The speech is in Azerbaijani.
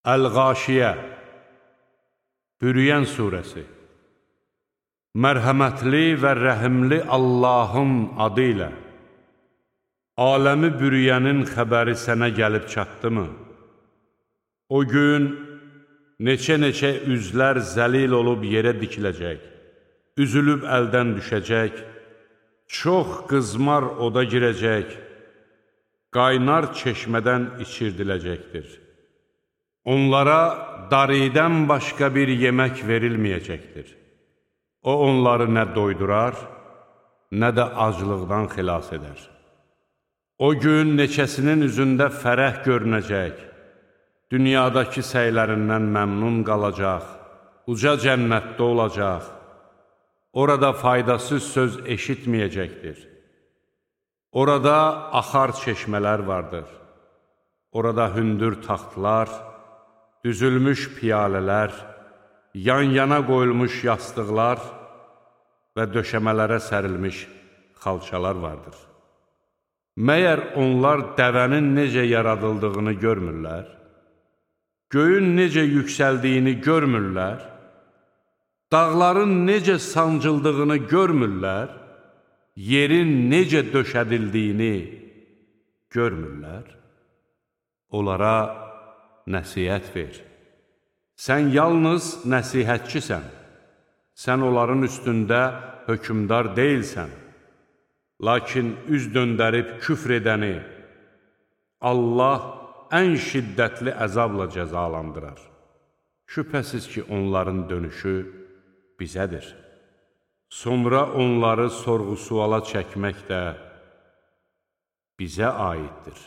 Əl-Qaşiyə, Bürüyən surəsi. Mərhəmətli və rəhimli Allahın adı ilə. Aləmi bürüyənin xəbəri sənə gəlib çatdımı? O gün neçə-neçə üzlər zəlil olub yerə dikiləcək, üzülüb əldən düşəcək, çox qızmar oda girəcək, qaynar çeşmədən içirdiləcəkdir. Onlara daridən başqa bir yemək verilməyəcəkdir. O onları nə doydurar, nə də aclıqdan xilas edər. O gün neçəsinin üzündə fərəh görünəcək, dünyadakı səylərindən məmnun qalacaq, uca cənnətdə olacaq, orada faydasız söz eşitməyəcəkdir. Orada axar çeşmələr vardır, orada hündür taxtlar, düzülmüş piyalələr, yan-yana qoyulmuş yastıqlar və döşəmələrə sərilmiş xalçalar vardır. Məyər onlar dəvənin necə yaradıldığını görmürlər? Göyün necə yüksəldiyini görmürlər? Dağların necə sancıldığını görmürlər? Yerin necə döşədildiyini görmürlər? Onlara nəsihət ver. Sən yalnız nəsihətçisən. Sən onların üstündə hökmdar deyilsən. Lakin üz döndərib küfr edəni Allah ən şiddətli əzabla cəzalandırar. Şübhəsiz ki, onların dönüşü bizədir. Sonra onları sorğu-suala çəkmək də bizə aiddir.